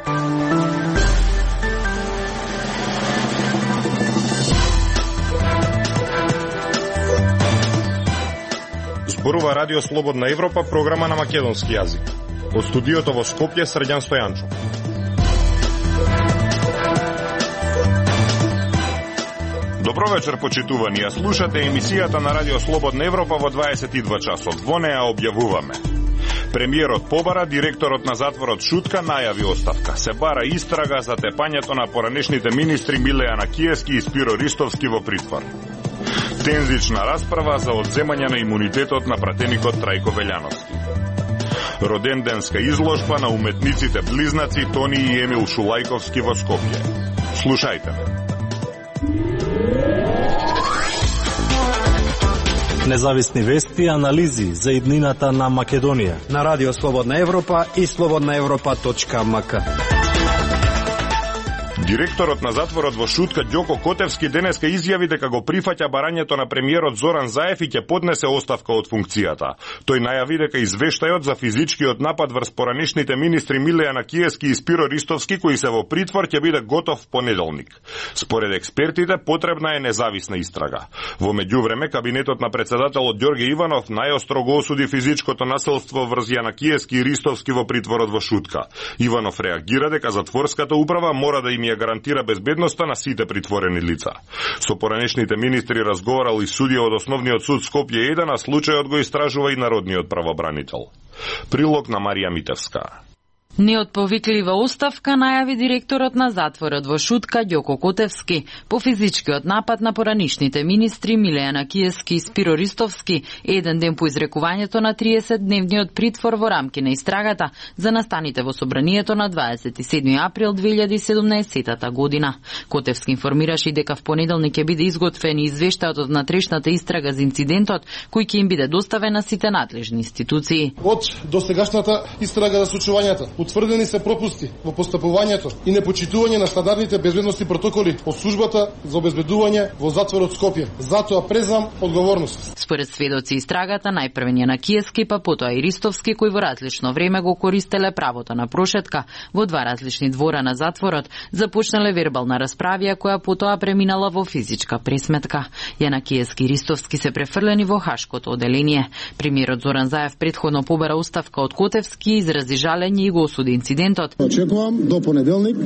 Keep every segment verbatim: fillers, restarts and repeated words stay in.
Зборува Радио Слободна Европа, програма на македонски јазик. Од студиото во Скопје, Срđan Стојанчо. Добро вечер, почитувани. Ја слушате емисијата на Радио Слободна Европа во дваесет и два часот. Во неа објавуваме: премиерот побара, директорот на затворот Шутка најави оставка. Се бара истрага за тепањето на поранешните министри Милејана Киевски и Спиро Ристовски во притвор. Тензична расправа за одземање на имунитетот на пратеникот Трајко Велјановски. Роденденска изложба на уметниците близнаци Тони и Емил Шулајковски во Скопје. Слушајте ме. Независни вести и анализи за иднината на Македонија на Радио Слободна Европа и слободна европа точка ем ка. Директорот на затворот во Шутка Ѓоко Котевски денеска изјави дека го прифаќа барањето на премиерот Зоран Заев и ќе поднесе оставка од функцијата. Тој најави дека извештајот за физичкиот напад врз поранешните министри Милејана Киевски и Спиро Ристовски, кои се во притвор, ќе биде готов в понеделник. Според експертите, потребна е независна истрага. Во меѓувреме, кабинетот на председателот Ѓорге Иванов најостро го осуди физичкото насилство врз Јанакиевски и Ристовски во притворот во Шутка. Иванов реагира дека затворската управа мора да им ја гарантира безбедноста на сите притворени лица. Со поранешните министри разговарал и судија од Основниот суд Скопје еден, а случајот го истражува и Народниот правобранител. Прилог на Марија Митевска. Неотповиклива оставка најави директорот на затворот во Шутка Ѓоко Котевски по физичкиот напад на поранишните министри Милејана Киевски и Спиро Ристовски еден ден по изрекувањето на триесетдневниот притвор во рамки на истрагата за настаните во собранието на дваесет и седми април две илјади и седумнаесетта година. Котевски информираше и дека в понеделник ќе биде изготвен извештајот од натрешната истрага за инцидентот, кој ќе им биде доставен на сите надлежни институции. Од досегашната истрага за случувањата утврдени се пропусти во постапувањето и непочитување на стандардните безбедности протоколи од службата за обезбедување во затворот Скопје. Затоа презам одговорност. Според сведоци истрагата, најпрвен на Киевски, па потоа и Ристовски, кои во различно време го користеле правото на прошетка во два различни двора на затворот, започнале вербална расправија која потоа преминала во физичка пресметка. Јанакиевски и Ристовски се префрлени во Хашкото оделение. Премиерот Зоран Заев претходно побара оставка од Котевски и изрази жалење и го осуди инцидентот. Очекувам до понеделник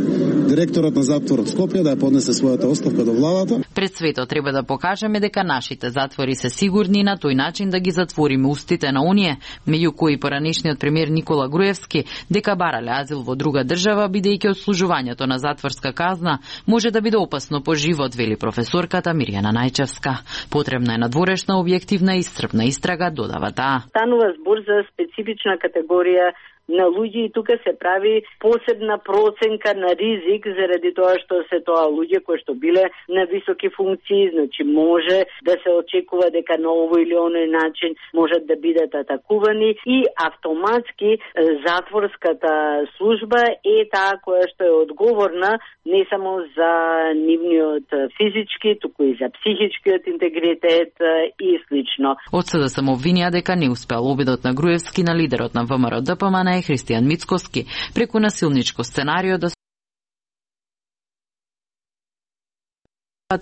директорот на затворот Скопје да ја поднесе својата оставка до владата. Пред светот треба да покажеме дека нашите затвори се сигурни и на тој начин да ги затвориме устите на оние, меѓу кои поранешниот премиер Никола Груевски, дека барале азил во друга држава, бидејќи одслужувањето на затворска казна може да биде опасно по живот, вели професорката Мирјана Најчевска. Потребна е надворешна, објективна и исцрпна истрага, додава таа. Станува збор за специфична категорија на луѓе и тука се прави посебна проценка на ризик заради тоа што се тоа луѓе кои што биле на високи функции, значи може да се очекува дека на овој или оној начин можат да бидат атакувани и автоматски затворската служба е таа која што е одговорна не само за нивниот физички, туку и за психичкиот интегритет и слично. Од СД само обвинија дека не успеал обидот на Груевски на лидерот на ВМРО Д П М Н Христијан Мицкоски преку насилничко сценарио да се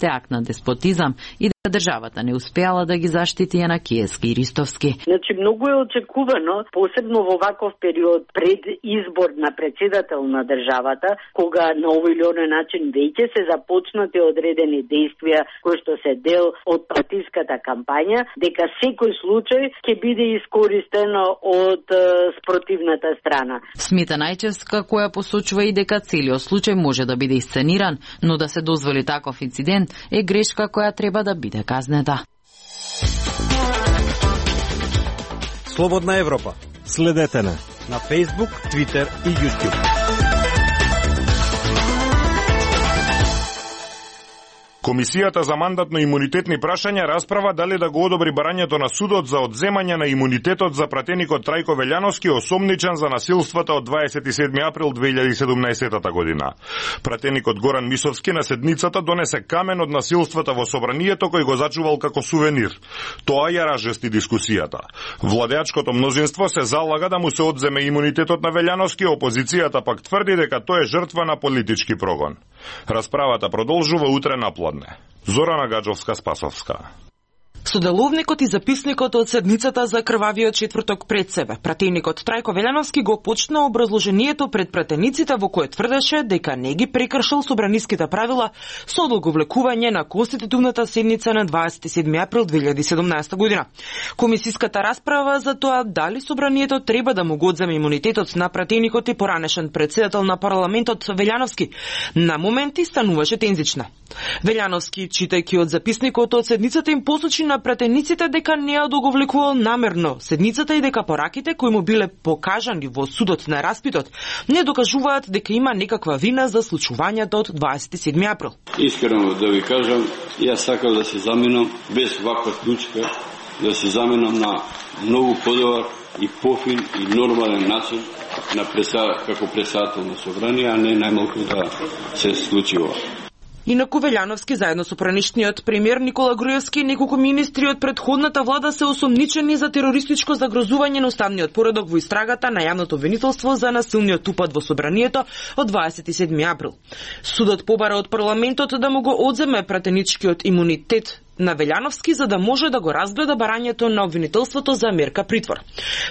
акт на деспотизам и дека државата не успеала да ги заштити Јанакиевски и Ристовски. Значи многу е очекувано, посебно во ваков период пред избор на председател на државата, кога на овој или оној начин веќе се започнати одредени действија кои што се дел од партиската кампања, дека секој случај ќе биде искористено од спротивната страна. Смета Најчевска, која посочува и дека целиот случај може да биде исцениран, но да се дозволи таков инцидент е грешка која треба да биде казнета. Слободна Европа. Следете на на Facebook, Twitter и YouTube. Комисијата за мандатно-имунитетни прашања расправа дали да го одобри барањето на судот за одземање на имунитетот за пратеникот Трајко Велјановски, осомничен за насилствата од дваесет и седми април две илјади и седумнаесета година. Пратеникот Горан Мисовски на седницата донесе камен од насилствата во собранието кој го зачувал како сувенир. Тоа ја разжести дискусијата. Владеачкото мнозинство се залага да му се одземе имунитетот на Велјановски, опозицијата пак тврди дека тој е жртва на политички прогон. Расправата продолжува утре напладне. Зорана Гаджовска-Спасовска. Соделовникот и записникот од седницата за крвавиот четврток пред себе. Пратеникот Трајко Велјановски го почна образложението пред пратениците во кое тврдеше дека не ги прекршил собраниските правила со одлаговлекување на конститутивната седница на дваесет и седми април две илјади и седумнаесета година. Комисиската расправа за тоа дали собранието треба да му го одземе имунитетот на пратеникот и поранешен председател на парламентот Велјановски на моменти стануваше тензична. Велјановски, читајќи од записникот од седницата, им посочи на пратениците дека не ја договлекувал намерно седницата и дека пораките кои му биле покажани во судот на распитот не докажуваат дека има некаква вина за случувањето од дваесет и седми април. Искрено да ви кажам, јас сакам да се заменам без ваква клучка, да се заменам на многу подобар и пофин и нормален начин на преса, како председател на собрание, а не најмалку да се случи ова. Инаку Велјановски заедно со пранишниот премиер Никола Груевски и неколку министри од претходната влада се осомничени за терористичко загрозување на уставниот поредок во истрагата на јавното обвинителство за насилниот упад во собранието од дваесет и седми април. Судот побара од парламентот да му го одземе пратеничкиот имунитет на Велјановски за да може да го разгледа барањето на обвинителството за мерка притвор.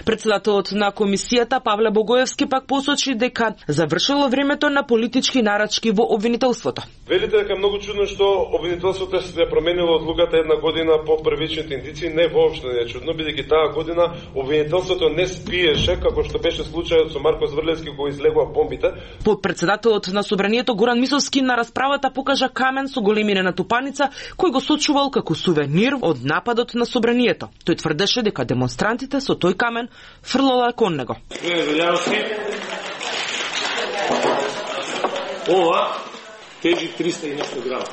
Председателот на комисијата Павле Богоевски пак посочи дека завршило времето на политички нарачки во обвинителството. Велите дека многу чудно што обвинителството се променило одлуката една година по првичните индици, не воопшто не е чудно, бидејќи таа година обвинителството не спиеше како што беше случајот со Марко Зврлевски кога излегува бомбите. Подпредседателот на собранието Горан Мисовски на расправата покажа камен со големина тупаница кој го сочувал како сувенир од нападот на собранието. Тој тврдеше дека демонстрантите со тој камен фрлале кон него. Ова тежи триста и нешто грама.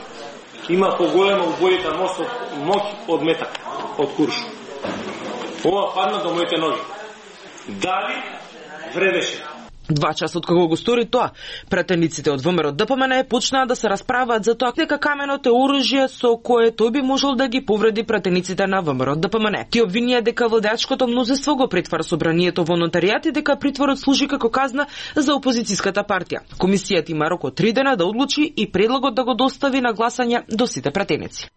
Има поголема убојата моќ од метак, од курш. Ова падна до моите ноги. Дали вредеше? Два часа од кога го стори тоа, пратениците од ВМРО ДПМН почнаа да се расправаат за тоа дека каменот е оружје со кое тој би можел да ги повреди пратениците на ВМРО ДПМН. Ти обвинија дека владеачкото мнозинство го претвара собранието во нотаријат и дека притворот служи како казна за опозицијската партија. Комисијата има рок од три дена да одлучи и предлогот да го достави на гласање до сите пратеници.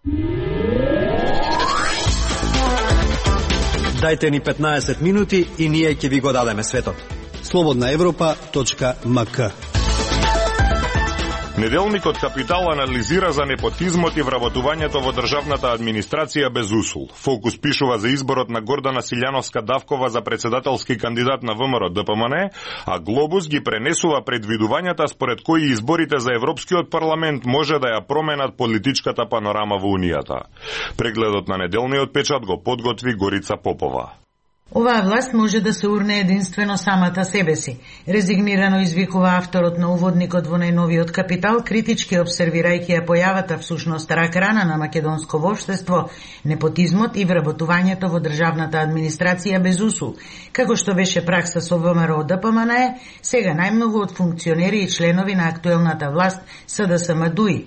Дајте ни петнаесет минути и ние ќе ви го дадеме светот. слободна европа точка ем ка. Неделникот Капитал анализира за непотизмот и вработувањето во државната администрација без усул. Фокус пишува за изборот на Гордана Силјановска-Давкова за председателски кандидат на ВМРО ДПМН, а Глобус ги пренесува предвидувањата според кои изборите за Европскиот парламент може да ја променат политичката панорама во Унијата. Прегледот на неделниот печат го подготви Горица Попова. Оваа власт може да се урне единствено самата себе си. Резигнирано извикува авторот на уводникот во најновиот Капитал, критички обсервирајќи ја појавата всушност рак-рана на македонско општество, непотизмот и вработувањето во државната администрација без усул. Како што беше пракса со ВМРО ДПМН, сега најмногу од функционери и членови на актуелната власт СДСМ-ДУИ.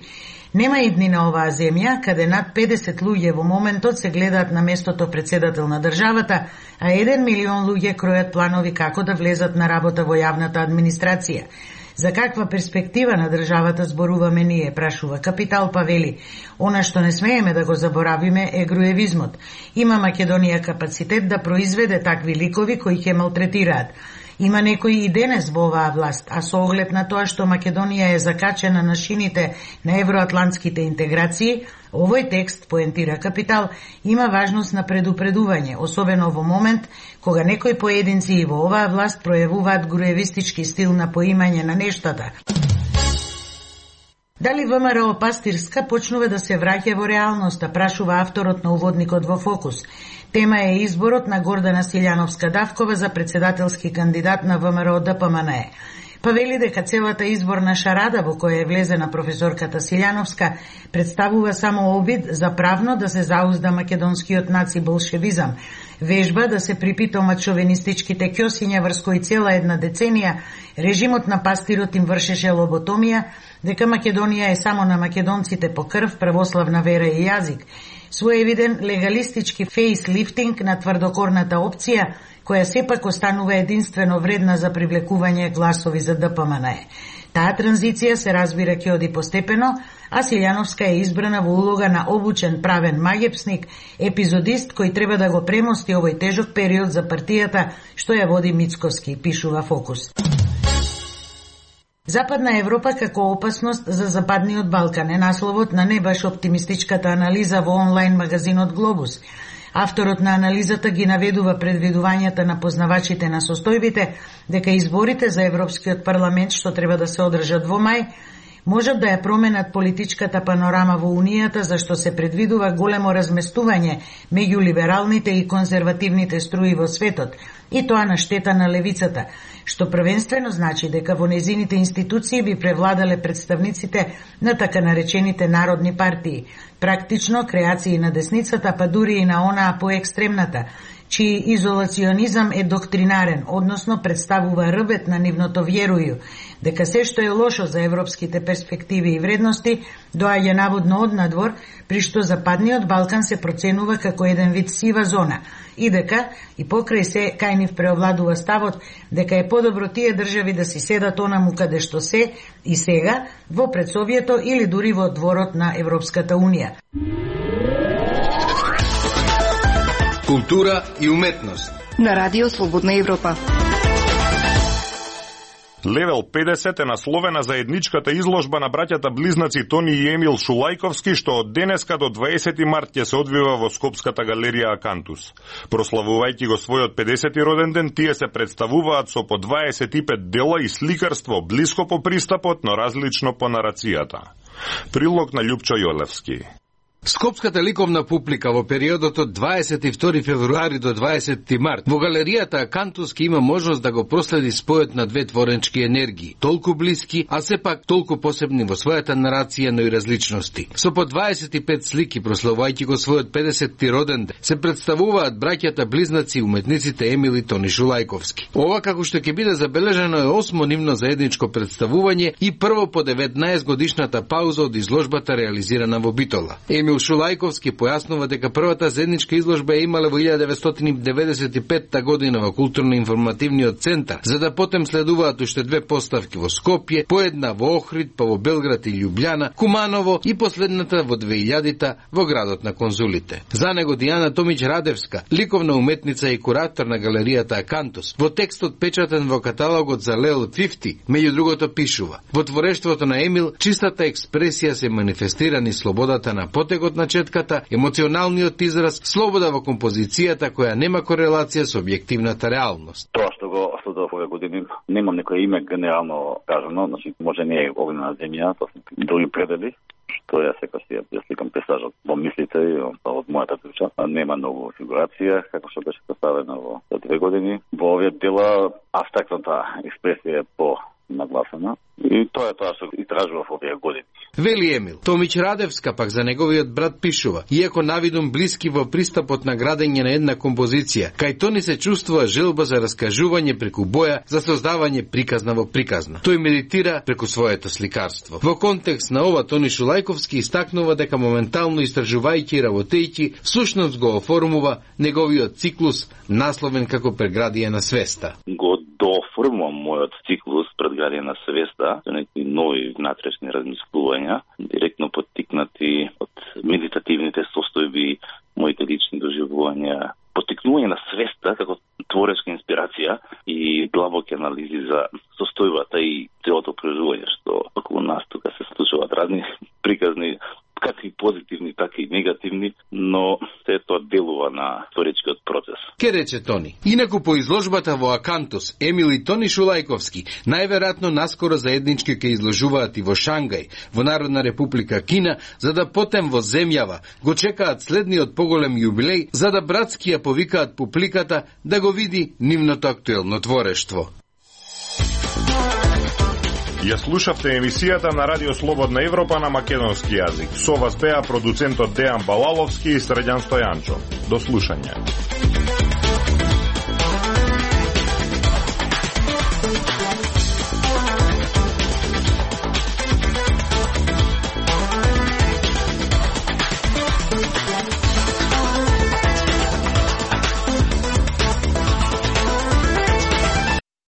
Нема идни на оваа земја, каде над педесет луѓе во моментот се гледаат на местото председател на државата, а еден милион луѓе кројат планови како да влезат на работа во јавната администрација. За каква перспектива на државата зборуваме ние, прашува Капитал, па вели: она што не смееме да го заборавиме е груевизмот. Има Македонија капацитет да произведе такви ликови кои ќе малтретираат. Има некои и денес во оваа власт, а со оглед на тоа што Македонија е закачена на шините на евроатлантските интеграции, овој текст, поентира Капитал, има важност на предупредување, особено во момент кога некои поединци и во оваа власт пројавуваат груевистички стил на поимање на нештата. Дали ВМРО Пастирска почнува да се враќа во реалноста, прашува авторот на уводникот во Фокус. Тема е изборот на Гордана Силјановска-Давкова за председателски кандидат на ВМРО ДПМН. па вели дека целата изборна шарада во која е влезена професорката Силјановска представува само обид за правно да се заузда македонскиот наци-болшевизам, вежба да се припитомат шовинистичките ќосиња врз кои цела една деценија режимот на пастирот им вршеше лоботомија, дека Македонија е само на македонците по крв, православна вера и јазик, своевиден легалистички фейслифтинг на тврдокорната опција, која сепак останува единствено вредна за привлекување гласови за Д П М Н Е. Таа транзиција се разбира ќе оди постепено, а Силјановска е избрана во улога на обучен правен магепсник, епизодист кој треба да го премости овој тежок период за партијата што ја води Мицковски, пишува Фокус. Западна Европа како опасност за Западниот Балкан е насловот на не баш оптимистичката анализа во онлайн магазинот Глобус. Авторот на анализата ги наведува предвидувањата на познавачите на состојбите дека изборите за Европскиот парламент што треба да се одржат во мај можат да ја променат политичката панорама во Унијата, зашто се предвидува големо разместување меѓу либералните и конзервативните струи во светот, и тоа на штета на левицата, што првенствено значи дека во незините институции би превладале представниците на така наречените народни партии, практично креации на десницата, па дури и на онаа поекстремната, чиј изолационизам е доктринарен, односно представува рбет на нивното вјерују, дека се што е лошо за европските перспективи и вредности доаѓа наводно од надвор, при што Западниот Балкан се проценува како еден вид сива зона, и дека и покрај се кај нив преовладува ставот дека е подобро тие држави да си седат онаму каде што се и сега во предсовјето или дури во дворот на Европската Унија. Култура и уметност на Радио Слободна Европа. Левел педесет е насловена за едничката изложба на браќата близнаци Тони и Емил Шулајковски, што од денеска до дваесети март ќе се одвива во Скопската галерија Акантус. Прославувајќи го својот педесети роден ден, тие се представуваат со по дваесет и пет дела и сликарство, блиско по пристапот, но различно по нарацијата. Прилог на Љупчо Јолевски. Скопската ликовна публика во периодот од дваесет и втори февруари до дваесети март во галеријата Акантус ке има можност да го проследи спојот на две творенчки енергии, толку блиски, а сепак толку посебни во својата нарација, но и различности. Со по дваесет и пет слики, прославувајќи го својот педесети роден ден, се представуваат браќата близнаци уметниците Емил и Тони Шулајковски. Ова, како што ќе биде забележано, е осмо нивно заедничко представување и прво по деветнаесет годишната пауза од изложбата реализирана во Битола. Емил Шулајковски појаснува дека првата заедничка изложба е имала во илјада деветстотини деведесет и петта година во културно-информативниот центар, за да потем следуваат уште две поставки во Скопје, по една во Охрид, па во Белград и Љубљана, Куманово и последната во две илјадите во градот на конзулите. За него Дијана Томиќ Радевска, ликовна уметница и куратор на галеријата Акантус, во текстот печатен во каталогот за Лел петдесет, меѓу другото пишува: во творештвото на Емил чистата експресија се манифестира низ слободата на потегот на четката, емоционалниот израз, слобода во композицијата која нема корелација со објективната реалност. Тоа што го следува овие години, немам некој име генерално кажано, значи може не е огнена земја, тоа се други предели, што ја секој си ја сликам пейзажот во мислите од мојата душа. Нема многу фигурација, како што беше поставено во две години. Во овие дела абстрактната експресија е по нагласена и тоа е тоа што и тражува во овие години. Вели Емил. Томиќ Радевска пак за неговиот брат пишува: иако навидум блиски во пристапот на градење на една композиција, кај Тони се чувствува желба за раскажување преку боја, за создавање приказна во приказна. Тој медитира преку своето сликарство. Во контекст на ова Тони Шулајковски истакнува дека моментално истражувајќи и работејќи, всушност го оформува неговиот циклус насловен како Преградија на свеста. Го дооформувам мојот циклус Предградија на свеста со некои нови внатрешни размислувања, директно поттикнати од медитативните состојби, моите лични доживувања, поттикнување на свеста како творечка инспирација и длабоки анализи за состојбата и целото преживување, што околу нас тука се случуваат разни приказни, како и позитивни, така и негативни, но се тоа делува на творечкиот процес. Ке рече Тони. Инаку по изложбата во Акантус, Емил и Тони Шулајковски најверојатно наскоро заеднички ќе изложуваат и во Шангај, во Народна република Кина, за да потем во земјава го чекаат следниот поголем јубилеј, за да братски ја повикаат публиката да го види нивното актуелно творештво. Ја слушавте емисијата на Радио Слободна Европа на македонски јазик. Со вас беа продуцентот Дејан Балаловски и Средјан Стојанчо. До слушање.